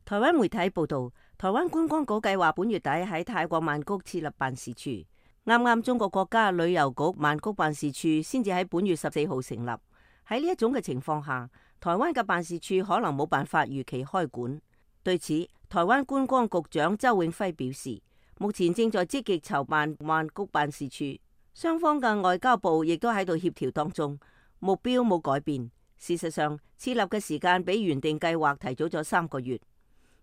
台灣媒體報道，台灣觀光局計劃本月底喺泰國曼谷設立辦事處。啱啱中國國家旅遊局曼谷辦事處先至喺本月14號成立。喺呢一種嘅情況下，台灣嘅辦事處可能冇辦法如期開館。對此，台灣觀光局長周永輝表示，目前正在積極籌辦曼谷辦事處，雙方嘅外交部亦都喺度協調當中，目標冇改變。事實上，設立嘅時間比原定計劃提早咗3個月。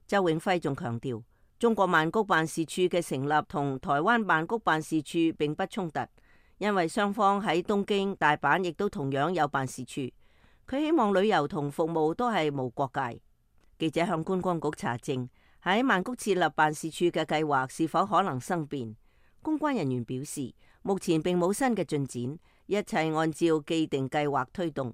周永輝仲強調，中國曼谷辦事處嘅成立同台灣曼谷辦事處並不衝突，因為雙方喺東京、大阪亦都同樣有辦事處。佢希望旅遊同服務都係無國界。記者向觀光局查證喺曼谷設立辦事處嘅計劃是否可能生變，公關人員表示，目前並冇新嘅進展，一切按照既定計劃推動。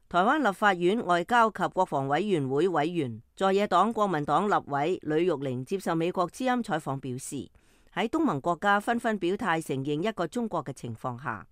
台灣立法院外交及國防委員會委員在野黨國民黨立委呂玉玲接受美國之音採訪表示，喺東盟國家紛紛表態承認一個中國嘅情況下，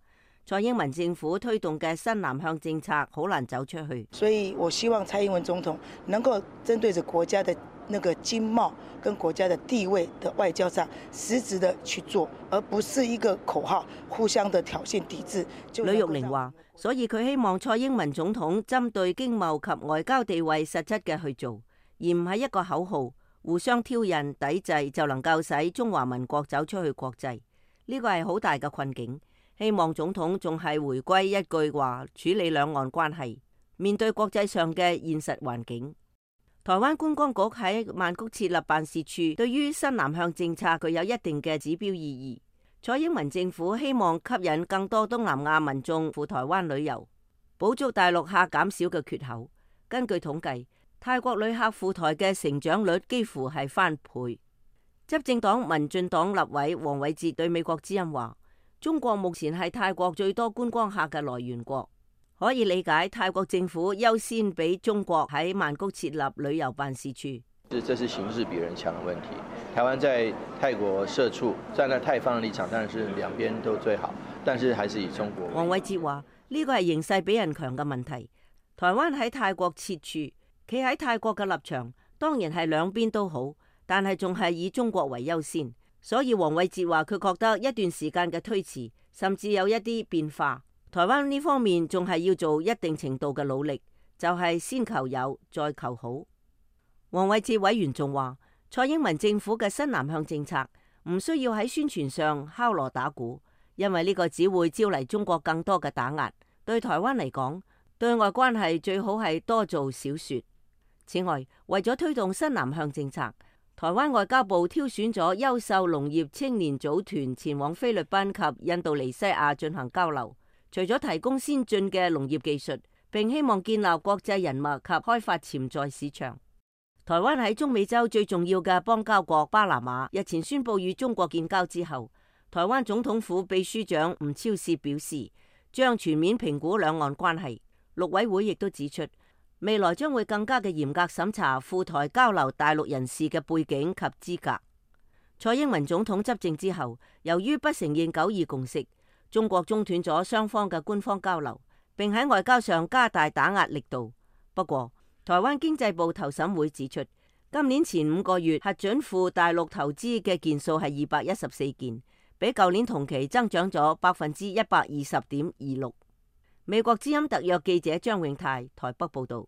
蔡英文政府推動嘅新南向政策好難走出去。所以我希望蔡英文總統能夠針對着國家的那個經貿跟國家的地位的外交上實質的去做，而不是一個口號互相的挑釁抵制。呂玉玲話，所以佢希望蔡英文總統針對經貿及外交地位實質嘅去做，而唔係一個口號互相挑釁抵制就能夠使中華民國走出去國際。呢個係好大嘅困境。希望總統仲係回歸一句話處理兩岸關係，面對國際上嘅現實環境。台灣觀光局喺曼谷設立辦事處，對於新南向政策具有一定嘅指標意義。蔡英文政府希望吸引更多東南亞民眾赴台灣旅遊，補足大陸客減少嘅缺口。根據統計，泰國旅客赴台嘅成長率幾乎係翻倍。執政黨民進黨立委黃偉哲對美國之音話，中國目前係泰國最多觀光客嘅來源國，可以理解泰國政府優先俾中國喺曼谷設立旅遊辦事處。這是形勢比人強嘅問題。台灣在泰國設處，站在泰方嘅立場，當然是兩邊都最好，但是還是以中國。黃偉哲話：呢個係形勢比人強嘅問題。台灣喺泰國設處，企喺泰國嘅立場，當然係兩邊都好，但係仲係以中國為優先。所以黃偉哲話，佢覺得一段時間嘅推遲，甚至有一啲變化。台灣呢方面仲係要做一定程度嘅努力，就係先求有，再求好。黃偉哲委員仲話，蔡英文政府嘅新南向政策唔需要喺宣傳上敲鑼打鼓，因為呢個只會招嚟中國更多嘅打壓。對台灣嚟講，對外關係最好係多做少說。此外，為咗推動新南向政策，台灣外交部挑選咗優秀農業青年組團前往菲律賓及印度尼西亞進行交流，除咗提供先進嘅農業技術，並希望建立國際人脈及開發潛在市場。台灣喺中美洲最重要嘅邦交國巴拿馬日前宣布與中國建交之後，台灣總統府秘書長吳釗燮表示，將全面評估兩岸關係。陸委會亦都指出，未來將會更加嘅嚴格審查赴台交流大陸人士嘅背景及資格。蔡英文總統執政之後，由於不承認9·2共識，中國中斷咗雙方嘅官方交流，並喺外交上加大打壓力度。不過，台灣經濟部投審會指出，今年前5個月核准赴大陸投資嘅件數係214件，比舊年同期增長咗120.26%。美國之音特約記者張永泰台北報道。